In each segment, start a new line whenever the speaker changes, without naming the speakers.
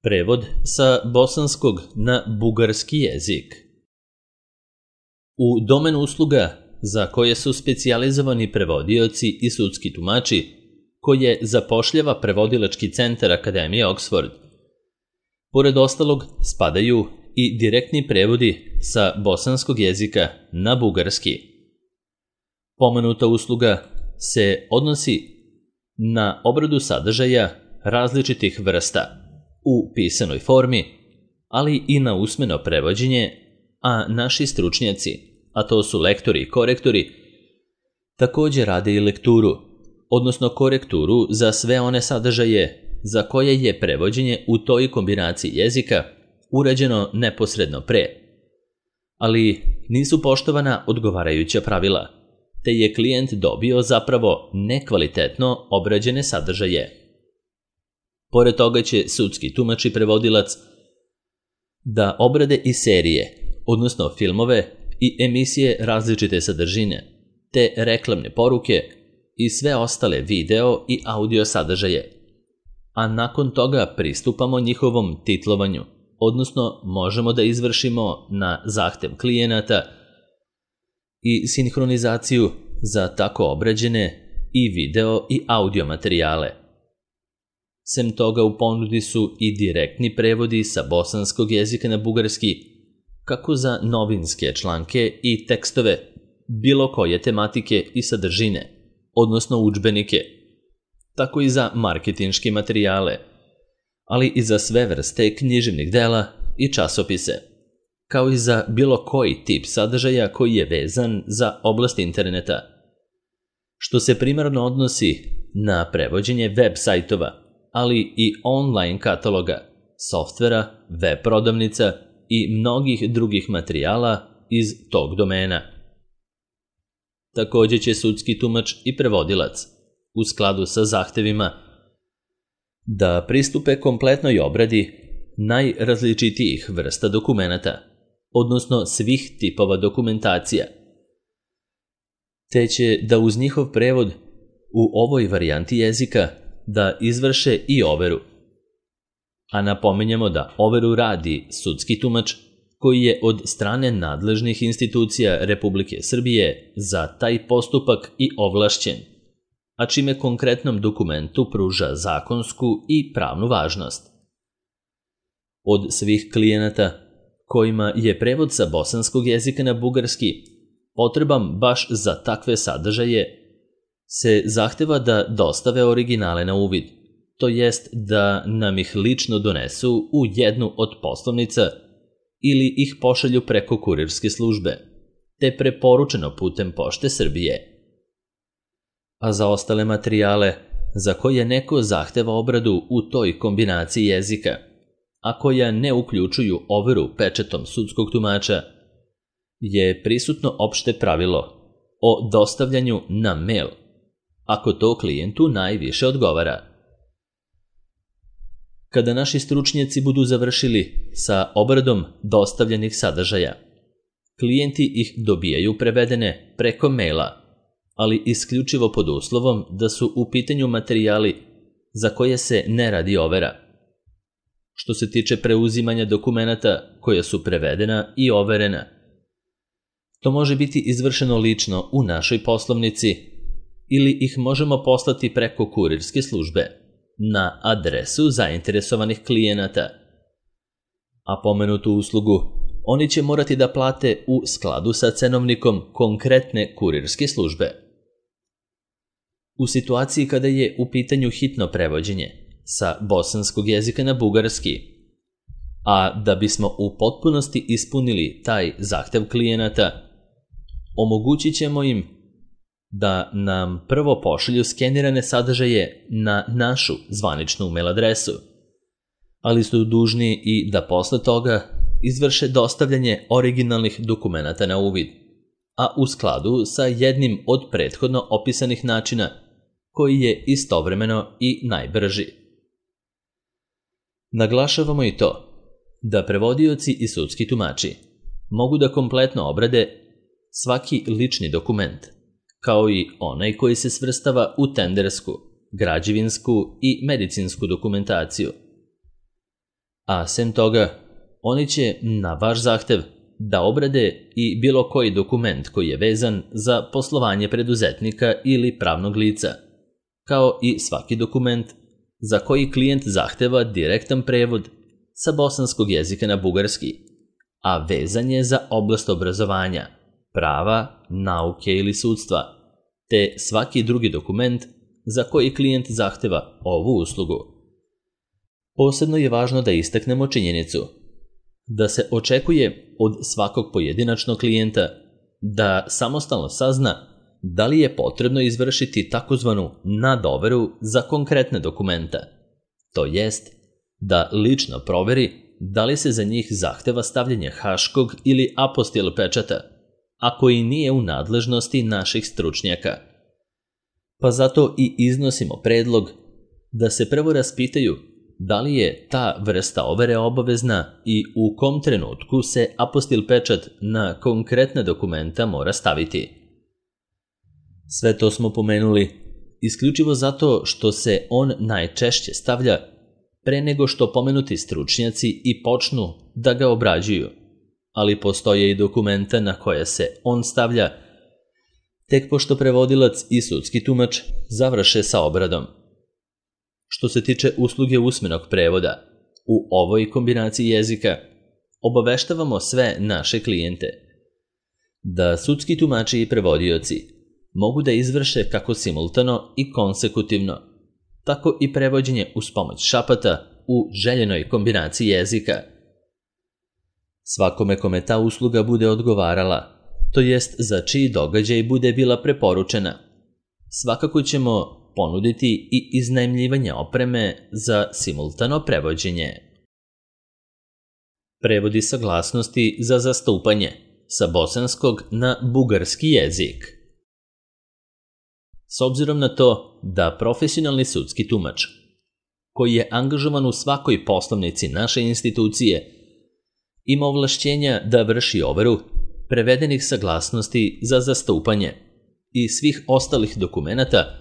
Prevod sa bosanskog na bugarski jezik. U domen usluga za koje su specijalizovani prevodioci i sudski tumači, koje zapošljava Prevodilački centar Akademije Oxford, pored ostalog spadaju i direktni prevodi sa bosanskog jezika na bugarski. Pomenuta usluga se odnosi na obradu sadržaja različitih vrsta u pisanoj formi, ali i na usmeno prevođenje, a naši stručnjaci, a to su lektori i korektori, također rade i lekturu, odnosno korekturu za sve one sadržaje za koje je prevođenje u toj kombinaciji jezika urađeno neposredno pre, ali nisu poštovana odgovarajuća pravila, te je klijent dobio zapravo nekvalitetno obrađene sadržaje. Pored toga će sudski tumač i prevodilac da obrade i serije, odnosno filmove i emisije različite sadržine, te reklamne poruke i sve ostale video i audio sadržaje, a nakon toga pristupamo njihovom titlovanju, odnosno možemo da izvršimo na zahtev klijenata i sinhronizaciju za tako obrađene i video i audio materijale. Sem toga u ponudi su i direktni prevodi sa bosanskog jezika na bugarski, kako za novinske članke i tekstove, bilo koje tematike i sadržine, odnosno udžbenike, tako i za marketinške materijale, ali i za sve vrste književnih dela i časopise, kao i za bilo koji tip sadržaja koji je vezan za oblast interneta, što se primarno odnosi na prevođenje web sajtova, ali i online kataloga, softvera, web prodavnica i mnogih drugih materijala iz tog domena. Također će sudski tumač i prevodilac, u skladu sa zahtevima, da pristupe kompletnoj obradi najrazličitijih vrsta dokumenata, odnosno svih tipova dokumentacija, te će da uz njihov prevod u ovoj varijanti jezika da izvrše i overu. A napominjemo da overu radi sudski tumač koji je od strane nadležnih institucija Republike Srbije za taj postupak i ovlašćen, a čime konkretnom dokumentu pruža zakonsku i pravnu važnost. Od svih klijenata kojima je prevod sa bosanskog jezika na bugarski potreban baš za takve sadržaje, se zahteva da dostave originale na uvid, to jest da nam ih lično donesu u jednu od poslovnica ili ih pošalju preko kurirske službe, te preporučeno putem Pošte Srbije. A za ostale materijale za koje neko zahteva obradu u toj kombinaciji jezika, a koja ne uključuju overu pečatom sudskog tumača, je prisutno opšte pravilo o dostavljanju na mail, ako to klijentu najviše odgovara. Kada naši stručnjaci budu završili sa obradom dostavljenih sadržaja, klijenti ih dobijaju prevedene preko maila, ali isključivo pod uslovom da su u pitanju materijali za koje se ne radi overa. Što se tiče preuzimanja dokumenata koja su prevedena i overena, to može biti izvršeno lično u našoj poslovnici ili ih možemo poslati preko kurirske službe na adresu zainteresovanih klijenata. A pomenutu uslugu oni će morati da plate u skladu sa cenovnikom konkretne kurirske službe. U situaciji kada je u pitanju hitno prevođenje sa bosanskog jezika na bugarski, a da bismo u potpunosti ispunili taj zahtev klijenata, omogućit ćemo im da nam prvo pošalju skenirane sadržaje na našu zvaničnu mail adresu, ali su dužni i da posle toga izvrše dostavljanje originalnih dokumenata na uvid, a u skladu sa jednim od prethodno opisanih načina, koji je istovremeno i najbrži. Naglašavamo i to da prevodioci i sudski tumači mogu da kompletno obrade svaki lični dokument, kao i onaj koji se svrstava u tendersku, građevinsku i medicinsku dokumentaciju. A sem toga, oni će na vaš zahtev da obrade i bilo koji dokument koji je vezan za poslovanje preduzetnika ili pravnog lica, kao i svaki dokument za koji klijent zahteva direktan prevod sa bosanskog jezika na bugarski, a vezan je za oblast obrazovanja, prava, nauke ili sudstva, te svaki drugi dokument za koji klijent zahteva ovu uslugu. Posebno je važno da istaknemo činjenicu da se očekuje od svakog pojedinačnog klijenta da samostalno sazna da li je potrebno izvršiti takozvanu nadoveru za konkretne dokumenta, to jest da lično proveri da li se za njih zahteva stavljanje haškog ili apostil pečata, a koji nije u nadležnosti naših stručnjaka. Pa zato i iznosimo predlog da se prvo raspitaju da li je ta vrsta overe obavezna i u kom trenutku se apostil pečat na konkretne dokumenta mora staviti. Sve to smo pomenuli isključivo zato što se on najčešće stavlja pre nego što pomenuti stručnjaci i počnu da ga obrađuju, ali postoje i dokumenta na koje se on stavlja tek pošto prevodilac i sudski tumač završe sa obradom. Što se tiče usluge usmenog prevoda, u ovoj kombinaciji jezika obaveštavamo sve naše klijente da sudski tumači i prevodioci mogu da izvrše kako simultano i konsekutivno, tako i prevođenje uz pomoć šapata u željenoj kombinaciji jezika. Svakome kome ta usluga bude odgovarala, to jest za čiji događaj bude bila preporučena, svakako ćemo ponuditi i iznajmljivanje opreme za simultano prevođenje. Prevodi saglasnosti za zastupanje sa bosanskog na bugarski jezik. S obzirom na to da profesionalni sudski tumač, koji je angažovan u svakoj poslovnici naše institucije, ima ovlašćenja da vrši overu prevedenih saglasnosti za zastupanje i svih ostalih dokumenata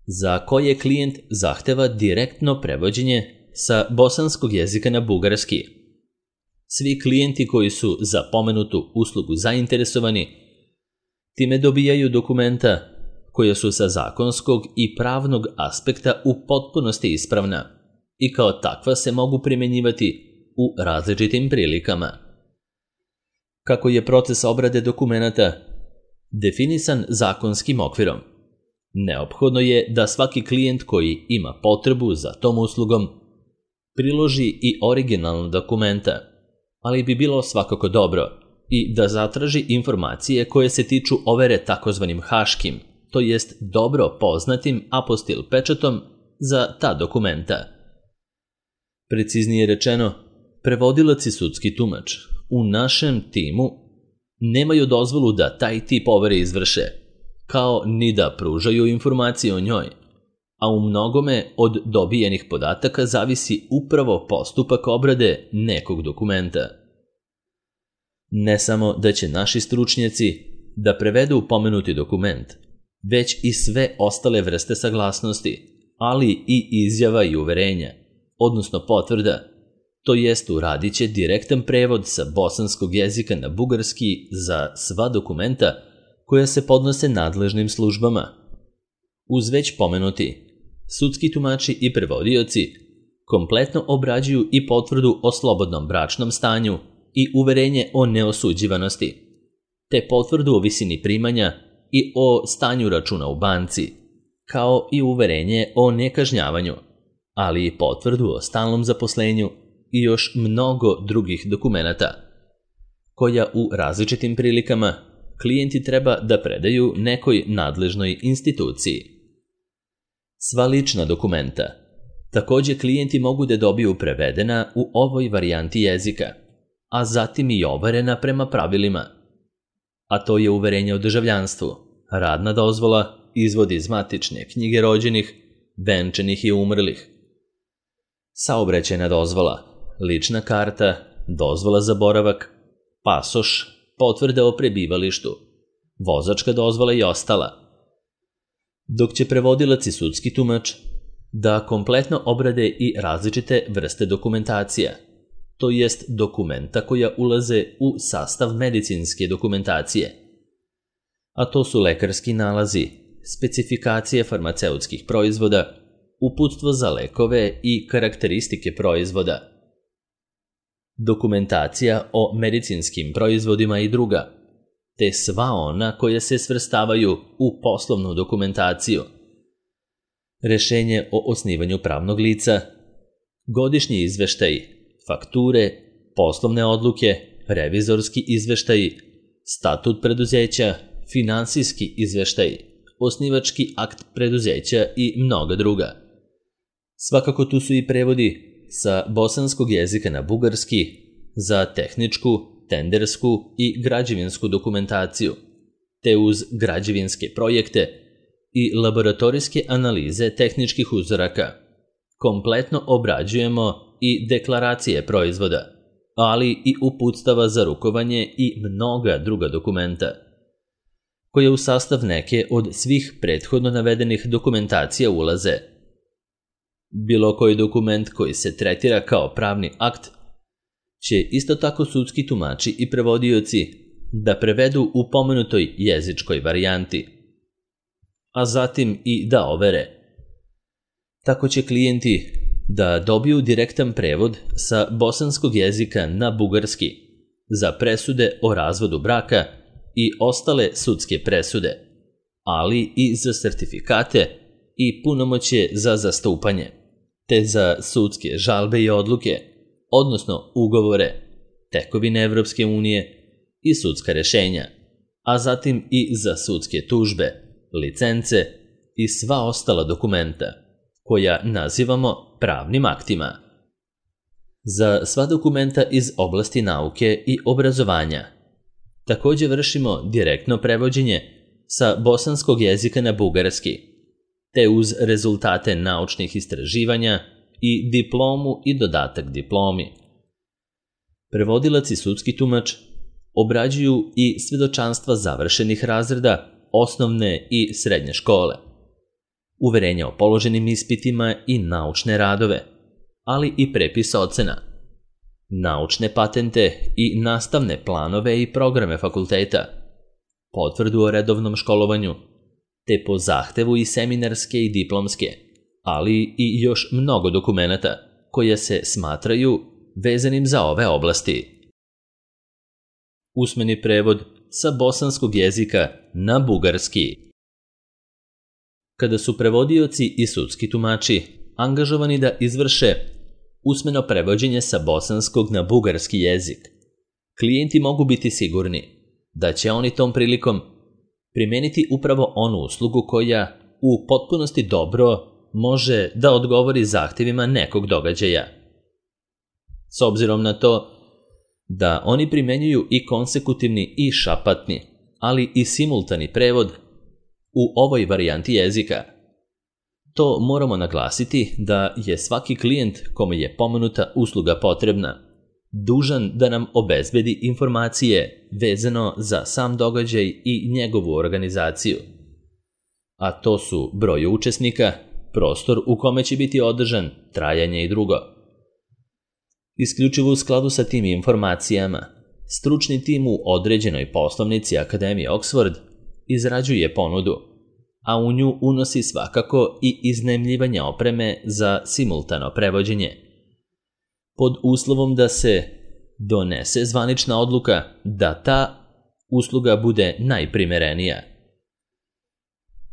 za koje klijent zahteva direktno prevođenje sa bosanskog jezika na bugarski. Svi klijenti koji su za pomenutu uslugu zainteresovani time dobijaju dokumenta koja su sa zakonskog i pravnog aspekta u potpunosti ispravna i kao takva se mogu primjenjivati u različitim prilikama. Kako je proces obrade dokumenata definisan zakonskim okvirom, neophodno je da svaki klijent koji ima potrebu za tom uslugom priloži i originalna dokumenta, ali bi bilo svakako dobro i da zatraži informacije koje se tiču overe takozvanim haškim, to jest dobro poznatim apostil pečatom za ta dokumenta. Preciznije rečeno, prevodilac i sudski tumač u našem timu nemaju dozvolu da taj tip overe izvrše, kao ni da pružaju informacije o njoj, a u mnogome od dobijenih podataka zavisi upravo postupak obrade nekog dokumenta. Ne samo da će naši stručnjaci da prevedu pomenuti dokument, već i sve ostale vrste saglasnosti, ali i izjava i uverenja, odnosno potvrda, to jest uradit će direktan prevod sa bosanskog jezika na bugarski za sva dokumenta koja se podnose nadležnim službama. Uz već pomenuti, sudski tumači i prevodioci kompletno obrađuju i potvrdu o slobodnom bračnom stanju i uverenje o neosuđivanosti, te potvrdu o visini primanja i o stanju računa u banci, kao i uverenje o nekažnjavanju, ali i potvrdu o stalnom zaposlenju i još mnogo drugih dokumenata, koja u različitim prilikama klijenti treba da predaju nekoj nadležnoj instituciji. Sva lična dokumenta takođe klijenti mogu da dobiju prevedena u ovoj varijanti jezika, a zatim i overena prema pravilima, a to je uverenje o državljanstvu, radna dozvola, izvod iz matične knjige rođenih, venčanih i umrlih, saobraćajna dozvola, lična karta, dozvola za boravak, pasoš, potvrde o prebivalištu, vozačka dozvola i ostala. Dok će prevodilac i sudski tumač da kompletno obrade i različite vrste dokumentacija, to jest dokumenta koja ulaze u sastav medicinske dokumentacije. A to su lekarski nalazi, specifikacije farmaceutskih proizvoda, uputstvo za lekove i karakteristike proizvoda, dokumentacija o medicinskim proizvodima i druga, te sva ona koja se svrstavaju u poslovnu dokumentaciju, rešenje o osnivanju pravnog lica, godišnji izveštaji, fakture, poslovne odluke, revizorski izveštaji, statut preduzeća, finansijski izveštaji, osnivački akt preduzeća i mnoga druga. Svakako tu su i prevodi sa bosanskog jezika na bugarski za tehničku, tendersku i građevinsku dokumentaciju, te uz građevinske projekte i laboratorijske analize tehničkih uzoraka. Kompletno obrađujemo i deklaracije proizvoda, ali i uputstava za rukovanje i mnoga druga dokumenta, koje u sastav neke od svih prethodno navedenih dokumentacija ulaze. Bilo koji dokument koji se tretira kao pravni akt će isto tako sudski tumači i prevodioci da prevedu u pomenutoj jezičkoj varijanti, a zatim i da overe. Tako će klijenti da dobiju direktan prevod sa bosanskog jezika na bugarski za presude o razvodu braka i ostale sudske presude, ali i za sertifikate i punomoćje za zastupanje, te za sudske žalbe i odluke, odnosno ugovore, tekovine Evropske unije i sudska rešenja, a zatim i za sudske tužbe, licence i sva ostala dokumenta, koja nazivamo pravnim aktima. Za sva dokumenta iz oblasti nauke i obrazovanja takođe vršimo direktno prevođenje sa bosanskog jezika na bugarski, te uz rezultate naučnih istraživanja i diplomu i dodatak diplomi. Prevodilac i sudski tumač obrađuju i svedočanstva završenih razreda osnovne i srednje škole, uverenja o položenim ispitima i naučne radove, ali i prepis ocena, naučne patente i nastavne planove i programe fakulteta, potvrdu o redovnom školovanju, te po zahtevu i seminarske i diplomske, ali i još mnogo dokumenata koje se smatraju vezanim za ove oblasti. Usmeni prevod sa bosanskog jezika na bugarski. Kada su prevodioci i sudski tumači angažovani da izvrše usmeno prevođenje sa bosanskog na bugarski jezik, klijenti mogu biti sigurni da će oni tom prilikom primeniti upravo onu uslugu koja u potpunosti dobro može da odgovori zahtevima nekog događaja. S obzirom na to da oni primenjuju i konsekutivni i šapatni, ali i simultani prevod u ovoj varijanti jezika, to moramo naglasiti da je svaki klijent kome je pomenuta usluga potrebna dužan da nam obezbedi informacije vezano za sam događaj i njegovu organizaciju. A to su broj učesnika, prostor u kome će biti održan, trajanje i drugo. Isključivo u skladu sa tim informacijama, stručni tim u određenoj poslovnici Akademije Oxford izrađuje ponudu, a u nju unosi svakako i iznajmljivanje opreme za simultano prevođenje, pod uslovom da se donese zvanična odluka da ta usluga bude najprimerenija.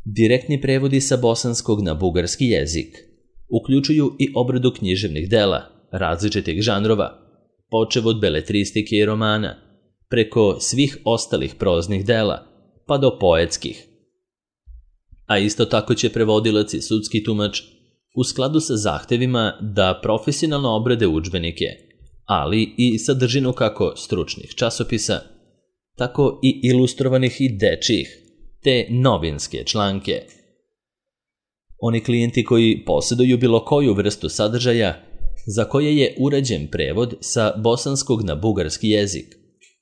Direktni prevodi sa bosanskog na bugarski jezik uključuju i obradu književnih dela različitih žanrova, počev od beletristike i romana, preko svih ostalih proznih dela, pa do poetskih. A isto tako će prevodilac i sudski tumač u skladu sa zahtevima da profesionalno obrade udžbenike, ali i sadržinu kako stručnih časopisa, tako i ilustrovanih i dečijih, te novinske članke. Oni klijenti koji posjeduju bilo koju vrstu sadržaja za koje je urađen prevod sa bosanskog na bugarski jezik,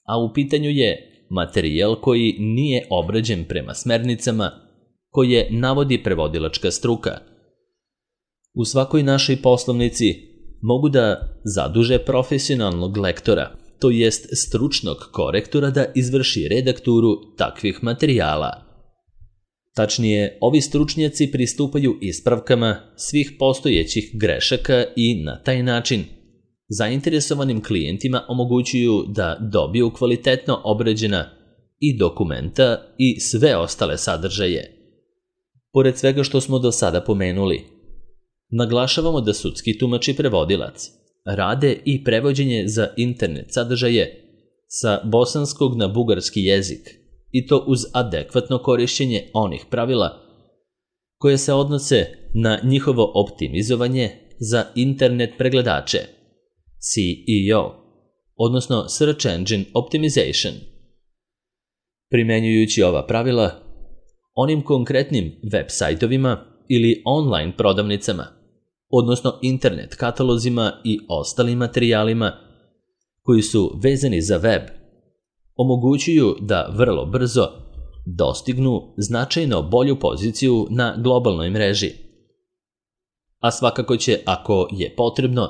a u pitanju je materijal koji nije obrađen prema smernicama koje navodi prevodilačka struka. U svakoj našoj poslovnici mogu da zaduže profesionalnog lektora, to jest stručnog korektora da izvrši redakturu takvih materijala. Tačnije, ovi stručnjaci pristupaju ispravkama svih postojećih grešaka i na taj način zainteresovanim klijentima omogućuju da dobiju kvalitetno obrađena i dokumenta i sve ostale sadržaje. Pored svega što smo do sada pomenuli, naglašavamo da sudski tumač i prevodilac rade i prevođenje za internet sadržaje sa bosanskog na bugarski jezik i to uz adekvatno korišćenje onih pravila koje se odnose na njihovo optimizovanje za internet pregledače, SEO, odnosno Search Engine Optimization. Primenjujući ova pravila, onim konkretnim web sajtovima ili online prodavnicama, odnosno internet katalozima i ostalim materijalima koji su vezani za web, omogućuju da vrlo brzo dostignu značajno bolju poziciju na globalnoj mreži. A svakako će, ako je potrebno,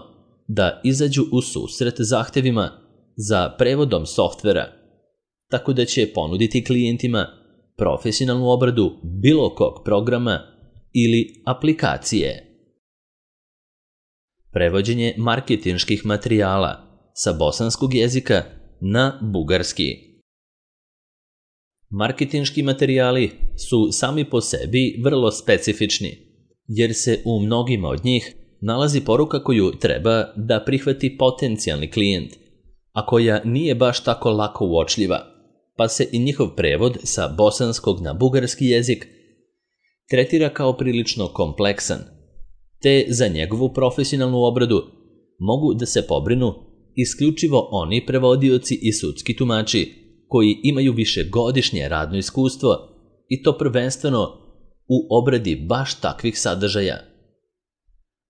da izađu u susret zahtevima za prevodom softvera, tako da će ponuditi klijentima profesionalnu obradu bilo kog programa ili aplikacije. Prevođenje marketinških materijala sa bosanskog jezika na bugarski. Marketinški materijali su sami po sebi vrlo specifični, jer se u mnogima od njih nalazi poruka koju treba da prihvati potencijalni klijent, a koja nije baš tako lako uočljiva, pa se i njihov prevod sa bosanskog na bugarski jezik tretira kao prilično kompleksan, te za njegovu profesionalnu obradu mogu da se pobrinu isključivo oni prevodioci i sudski tumači koji imaju višegodišnje radno iskustvo i to prvenstveno u obradi baš takvih sadržaja.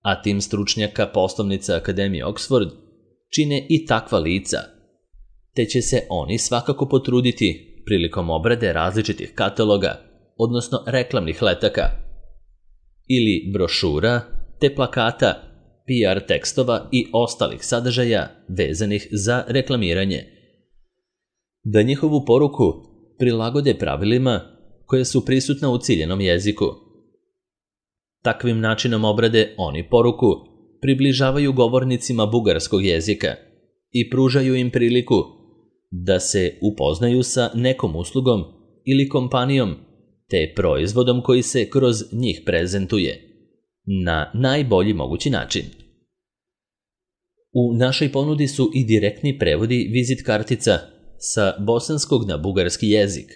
A tim stručnjaka poslovnica Akademije Oxford čine i takva lica, te će se oni svakako potruditi prilikom obrade različitih kataloga, odnosno reklamnih letaka, ili brošura, te plakata, PR tekstova i ostalih sadržaja vezanih za reklamiranje, da njihovu poruku prilagode pravilima koje su prisutna u ciljenom jeziku. Takvim načinom obrade oni poruku približavaju govornicima bugarskog jezika i pružaju im priliku da se upoznaju sa nekom uslugom ili kompanijom te proizvodom koji se kroz njih prezentuje na najbolji mogući način. U našoj ponudi su i direktni prevodi vizit kartica sa bosanskog na bugarski jezik,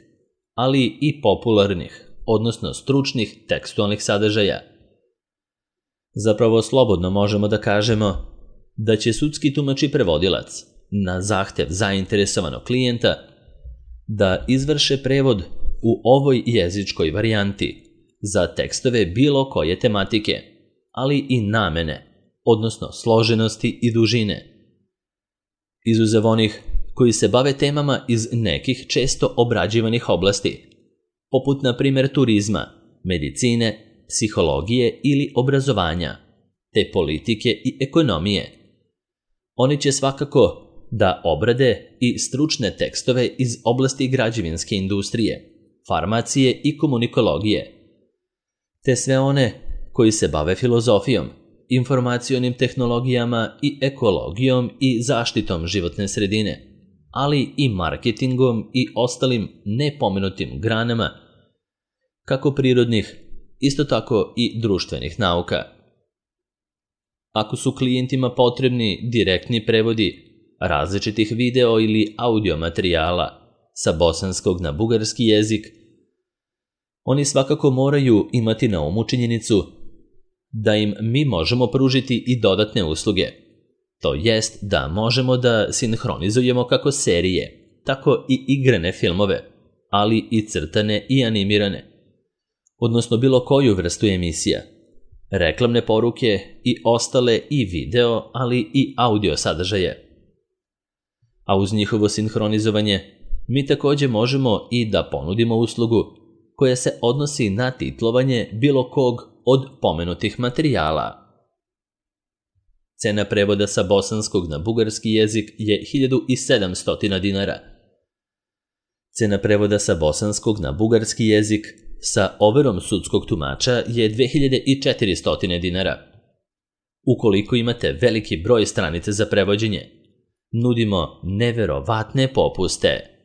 ali i popularnih, odnosno stručnih tekstualnih sadržaja. Zapravo slobodno možemo da kažemo da će sudski tumač i prevodilac na zahtev zainteresovanog klijenta da izvrše prevod u ovoj jezičkoj varijanti za tekstove bilo koje tematike, ali i namene, odnosno složenosti i dužine. Izuzev onih koji se bave temama iz nekih često obrađivanih oblasti, poput na primjer turizma, medicine, psihologije ili obrazovanja, te politike i ekonomije. Oni će svakako da obrade i stručne tekstove iz oblasti građevinske industrije, farmacije i komunikologije, te sve one koji se bave filozofijom, informacionim tehnologijama i ekologijom i zaštitom životne sredine, ali i marketingom i ostalim nepomenutim granama, kako prirodnih, isto tako i društvenih nauka. Ako su klijentima potrebni direktni prevodi različitih video ili audio materijala sa bosanskog na bugarski jezik, oni svakako moraju imati na umu činjenicu da im mi možemo pružiti i dodatne usluge. To jest da možemo da sinhronizujemo kako serije, tako i igrane filmove, ali i crtane i animirane, odnosno bilo koju vrstu emisija, reklamne poruke i ostale i video, ali i audio sadržaje. A uz njihovo sinhronizovanje mi također možemo i da ponudimo uslugu koja se odnosi na titlovanje bilo kog od pomenutih materijala. Cena prevoda sa bosanskog na bugarski jezik je 1700 dinara. Cena prevoda sa bosanskog na bugarski jezik sa overom sudskog tumača je 2400 dinara. Ukoliko imate veliki broj stranica za prevođenje, nudimo neverovatne popuste.